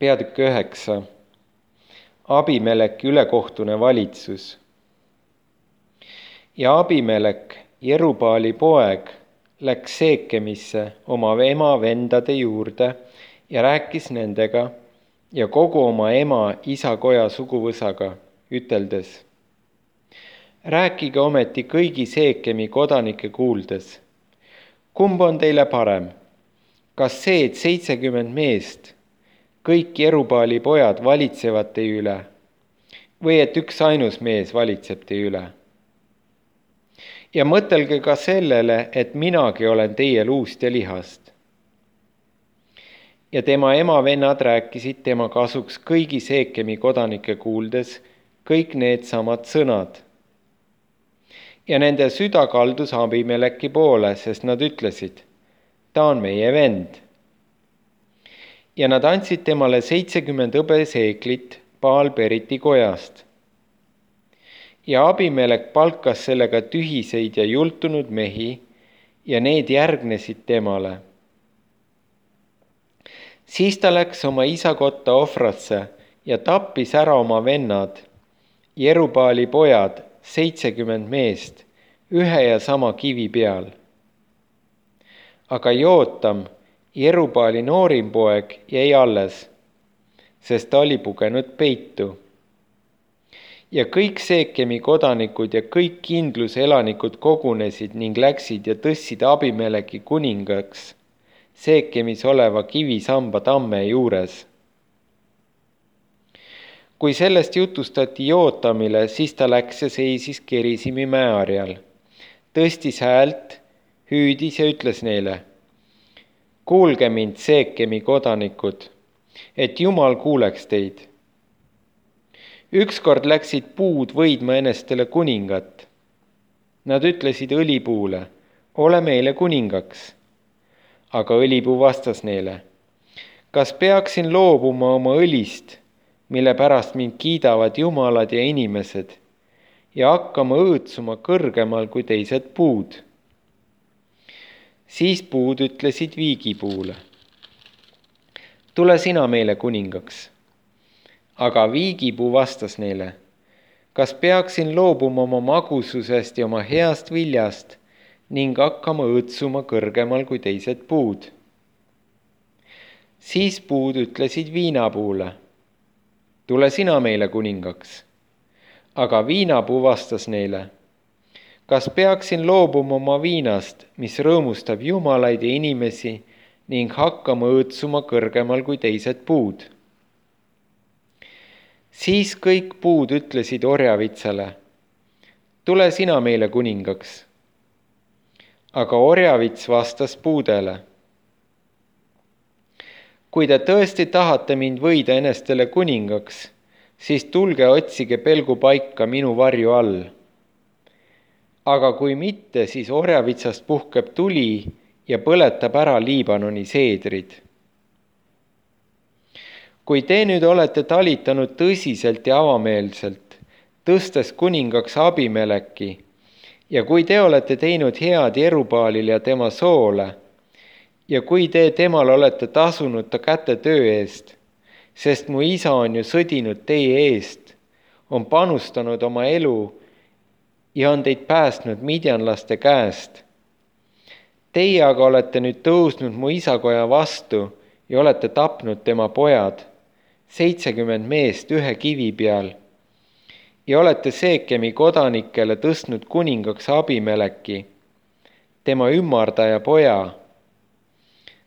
Peatükk 9. Abimeleki ülekohtune valitsus. Ja Abimelek, Jerubaali poeg, läks Seekemisse oma ema vendade juurde ja rääkis nendega ja kogu oma ema isakoja suguvõsaga, üteldes: rääkige ometi kõigi Seekemi kodanike kuuldes. Kumb on teile parem? Kas see, et 70 meest, kõik Jerubaali pojad valitsevad teie üle, või et üks ainus mees valitseb teie üle? Ja mõtelge ka sellele, et minagi olen teie luust ja lihast. Ja tema ema vennad rääkisid tema kasuks kõigi Seekemi kodanike kuuldes kõik needsamad sõnad. Ja nende süda kaldus Abimeleki poole, sest nad ütlesid: ta on meie vend. Ja nad andsid temale 70 hõbeseeklit Baal-Beriti kojast. Ja Abimelek palkas sellega tühiseid ja jultunud mehi ja need järgnesid temale. Siis ta läks oma isa kotta Ofrasse ja tappis ära oma vennad, Jerubaali pojad, 70 meest, ühe ja sama kivi peal. Aga Jootam, Jerubaali noorim poeg, jäi alles, sest ta oli pugenud peitu. Ja kõik Seekemi kodanikud ja kõik kindluse elanikud kogunesid ning läksid ja tõstsid Abimeleki kuningaks Seekemis oleva kivisamba tamme juures. Kui sellest jutustati Jootamile, siis ta läks ja seisis Gerisimi mäeharjal, tõstis häält, hüüdis ja ütles neile: kuulge mind, Seekemi kodanikud, et Jumal kuuleks teid. Ükskord läksid puud võidma enestele kuningat. Nad ütlesid õlipuule: ole meile kuningaks. Aga õlipuu vastas neile: kas peaksin loobuma oma õlist, mille pärast mind kiidavad jumalad ja inimesed, ja hakkama õõtsuma kõrgemal kui teised puud? Siis puud ütlesid viigipuule: tule sina meile kuningaks. Aga viigipuu vastas neile: kas peaksin loobuma oma magususest ja oma heast viljast ning hakkama õõtsuma kõrgemal kui teised puud? Siis puud ütlesid viinapuule: tule sina meile kuningaks. Aga viinapuu vastas neile: kas peaksin loobuma oma viinast, mis rõõmustab jumalaid ja inimesi, ning hakkama õõtsuma kõrgemal kui teised puud? Siis kõik puud ütlesid orjavitsale: tule sina meile kuningaks. Aga orjavits vastas puudele: kui te tõesti tahate mind võida enestele kuningaks, siis tulge otsige pelgupaika minu varju all. Aga kui mitte, siis orjavitsast puhkeb tuli ja põletab ära Liibanoni seedrid. Kui te nüüd olete talitanud tõsiselt ja avameelselt, tõstes kuningaks Abimeleki, ja kui te olete teinud head Jerubaalile ja tema soole, ja kui te temal olete tasunud ta käte töö eest, sest mu isa on ju sõdinud teie eest, on panustanud oma elu ja on teid päästnud midjanlaste käest. Teie aga olete nüüd tõusnud mu isakoja vastu ja olete tapnud tema pojad, 70 meest ühe kivi peal, ja olete Seekemi kodanikele tõstnud kuningaks Abimeleki, tema ümmardaja poja,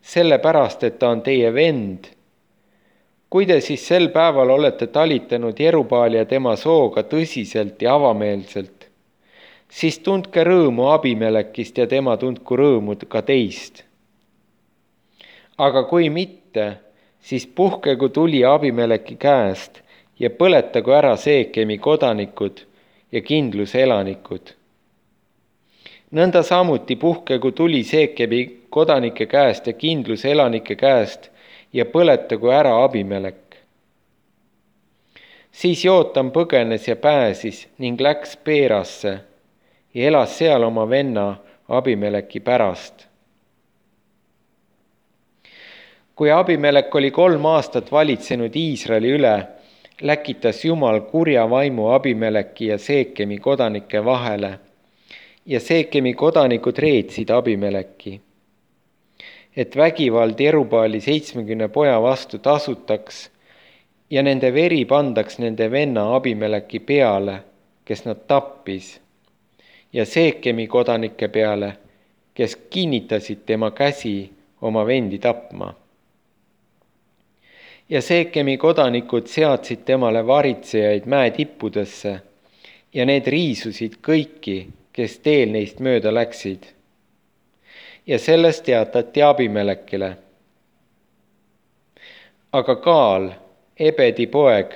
sellepärast, et ta on teie vend. Kui te siis sel päeval olete talitanud Jerubaali ja tema sooga tõsiselt ja avameelselt, siis tundke rõõmu Abimelekist ja tema tundku rõõmu ka teist. Aga kui mitte, siis puhkegu tuli Abimeleki käest ja põletagu ära Seekemi kodanikud ja kindluse elanikud. Nõnda samuti puhkegu tuli Seekemi kodanike käest ja kindluse elanike käest ja põletagu ära Abimelek. Siis Jootam põgenes ja pääsis ning läks Peerasse ja elas seal oma venna Abimeleki pärast. Kui Abimelek oli 3 aastat valitsenud Iisraeli üle, läkitas Jumal kurja vaimu Abimeleki ja Seekemi kodanike vahele ja Seekemi kodanikud reetsid Abimeleki, et vägivald Jerubaali 70 poja vastu tasutaks ja nende veri pandaks nende venna Abimeleki peale, kes nad tappis, ja Seekemi kodanike peale, kes kinnitasid tema käsi oma vendi tapma. Ja Seekemi kodanikud seadsid temale varitsejaid mäe tippudesse ja need riisusid kõiki, kes teel neist mööda läksid. Ja sellest teatati Abimelekile. Aga Gaal, Ebedi poeg,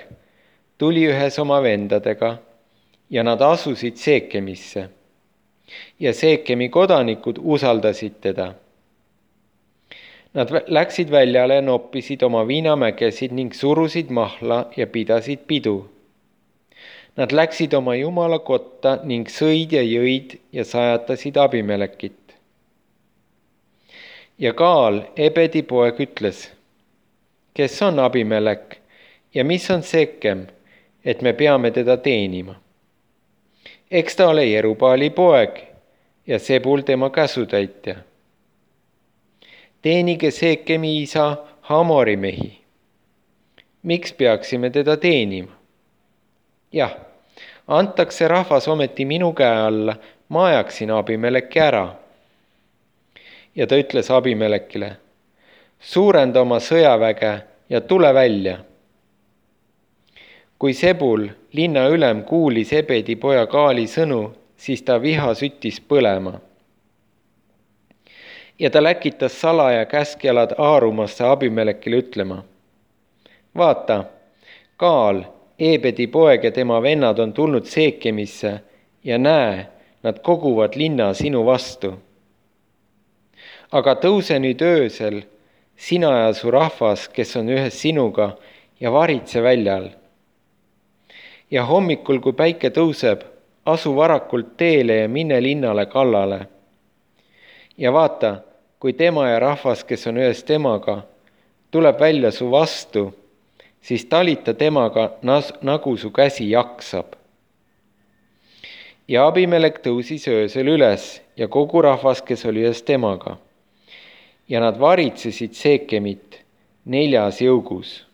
tuli ühes oma vendadega ja nad asusid Seekemisse. Ja Seekemi kodanikud usaldasid teda. Nad läksid väljale, noppisid oma viinamägesid ning surusid mahla ja pidasid pidu. Nad läksid oma Jumala kotta ning sõid ja jõid ja sajatasid Abimelekit. Ja Gaal, Ebedi poeg, ütles, kes on Abimelek ja mis on Seekem, et me peame teda teenima? Eks ta ole Jerubaali poeg ja Sebul tema käsutäitja. Teenige Seekemi isa Hamori mehi. Miks peaksime teda teenima? Jah, antakse rahvas ometi minu käe alla, ma ajaksin Abimeleki ära. Ja ta ütles Abimelekile, suurenda oma sõjaväge ja tule välja. Kui Sebul, linna ülem, kuulis Ebedi poja Gaali sõnu, siis ta viha süttis põlema. Ja ta läkitas salaja käskjalad Aarumasse Abimelekile ütlema, vaata, Gaal, Ebedi poeg ja tema vennad on tulnud Seekemisse ja näe, nad koguvad linna sinu vastu. Aga tõuse nüüd öösel, sina ja su rahvas, kes on ühes sinuga, ja varitse väljal. Ja hommikul, kui päike tõuseb, asu varakult teele ja mine linnale kallale. Ja vaata, kui tema ja rahvas, kes on ühes temaga, tuleb välja su vastu, siis talita temaga, nagu su käsi jaksab. Ja Abimelek tõusis öösel üles ja kogu rahvas, kes oli ühes temaga. Ja nad varitsesid Seekemit 4 jõugus.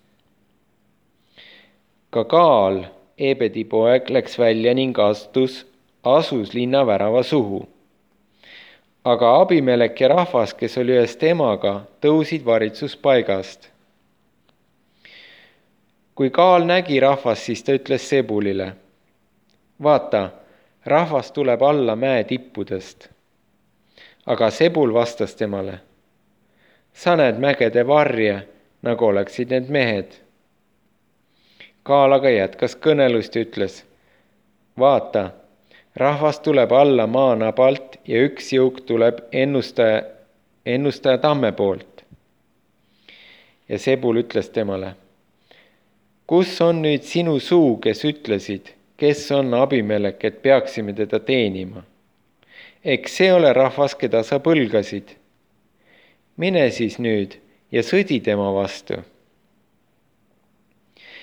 Ka Gaal, Ebedi poeg, läks välja ning asus linna värava suhu. Aga Abimelek ja rahvas, kes oli ühes temaga, tõusid varitsuspaigast. Kui Gaal nägi rahvast, siis ta ütles Sebulile, vaata, rahvas tuleb alla mäe tippudest. Aga Sebul vastas temale, sa näed mägede varje, nagu oleksid need mehed. Gaal aga jätkas kõnelust ja ütles, vaata, rahvas tuleb alla maanabalt ja üks jõuk tuleb ennustaja tamme poolt. Ja Sebul ütles temale, kus on nüüd sinu suu, kes ütlesid, kes on Abimelek, et peaksime teda teenima? Eks see ole rahvas, keda sa põlgasid. Mine siis nüüd ja sõdi tema vastu.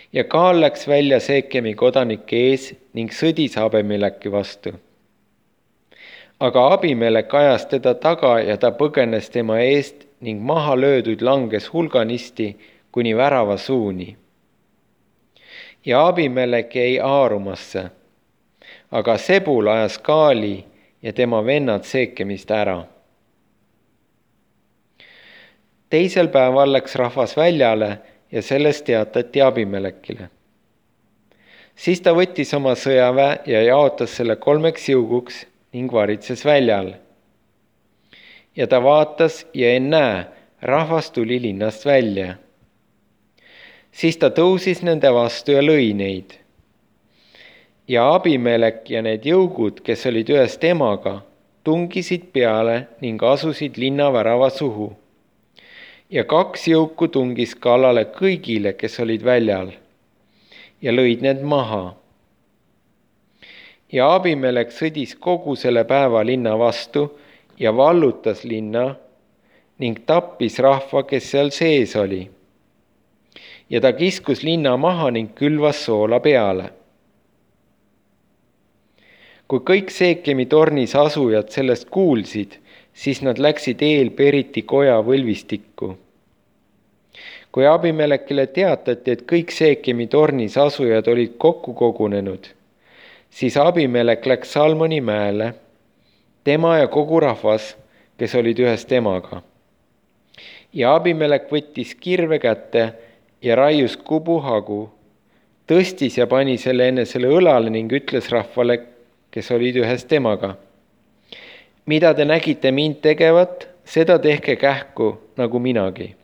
Ja Gaal läks välja Seekemi kodanike ees ning sõdis Abimeleki vastu. Aga Abimelek ajas teda taga ja ta põgenes tema eest ning maha löödud langes hulganisti kuni värava suuni. Ja Abimelek jäi Aarumasse, aga Sebul ajas Gaali ja tema vennad Seekemist ära. Teisel päeval läks rahvas väljale ja sellest teatati Abimelekile. Siis ta võttis oma sõjaväe ja jaotas selle 3 jõuguks ning varitses väljal. Ja ta vaatas ja ennäe, rahvas tuli linnast välja. Siis ta tõusis nende vastu ja lõi neid. Ja Abimelek ja need jõugud, kes olid ühes temaga, tungisid peale ning asusid linna värava suhu. Ja 2 jõuku tungis kallale kõigile, kes olid väljal, ja lõid need maha. Ja Abimelek sõdis kogu selle päeva linna vastu ja vallutas linna ning tappis rahva, kes seal sees oli. Ja ta kiskus linna maha ning külvas soola peale. Kui kõik Seekemi tornis asujad sellest kuulsid, siis nad läksid eelperiti koja võlvistikku. Kui Abimelekile teatati, et kõik Seekemi tornis asujad olid kokku kogunenud, siis Abimelek läks Salmoni mäele, tema ja kogu rahvas, kes olid ühes temaga. Ja Abimelek võttis kirve kätte ja raius kubuhagu, tõstis ja pani selle enesele õlale ning ütles rahvale, kes olid ühes temaga: mida te nägite mind tegevat, seda tehke kähku nagu minagi.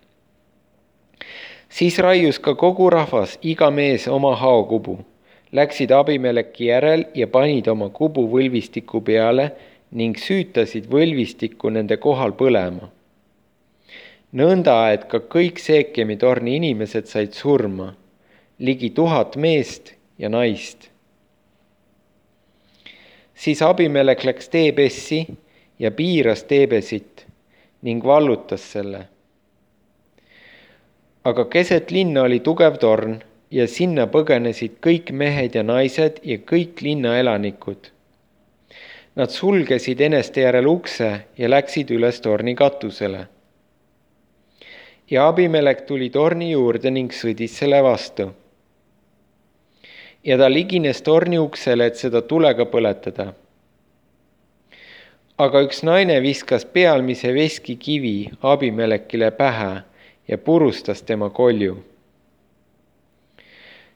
Siis raius ka kogu rahvas, iga mees oma haokubu, läksid Abimeleki järel ja panid oma kubu võlvistiku peale ning süütasid võlvistikku nende kohal põlema. Nõnda, et ka kõik Seekemi torni inimesed said surma, ligi 1000 meest ja naist. Siis Abimelek läks Teebessi ja piiras Teebesit ning vallutas selle. Aga keset linna oli tugev torn ja sinna põgenesid kõik mehed ja naised ja kõik linna elanikud. Nad sulgesid eneste järel ukse ja läksid üles torni katusele. Ja Abimelek tuli torni juurde ning sõdis selle vastu. Ja ta ligines torni uksele, et seda tulega põletada. Aga üks naine viskas pealmise veskikivi Abimelekile pähe ja purustas tema kolju.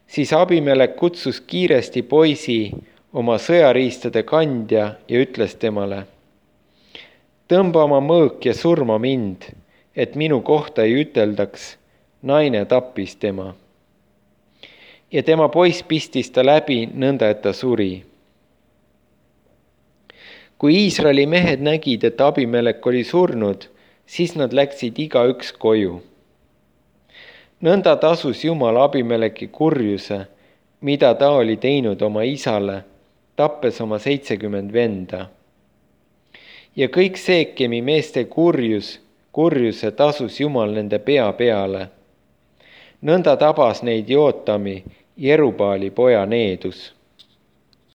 Siis Abimelek kutsus kiiresti poisi, oma sõjariistade kandja, ja ütles temale: tõmba oma mõõk ja surma mind, et minu kohta ei üteldaks, naine tappis tema. Ja tema poiss pistis ta läbi, nõnda et ta suri. Kui Iisraeli mehed nägid, et Abimelek oli surnud, siis nad läksid igaüks koju. Nõnda tasus Jumal Abimeleki kurjuse, mida ta oli teinud oma isale, tappes oma 70 venda. Ja kõik Seekemi meeste kurjuse tasus Jumal nende pea peale. Nõnda tabas neid Jootami, Jerubaali poja needus.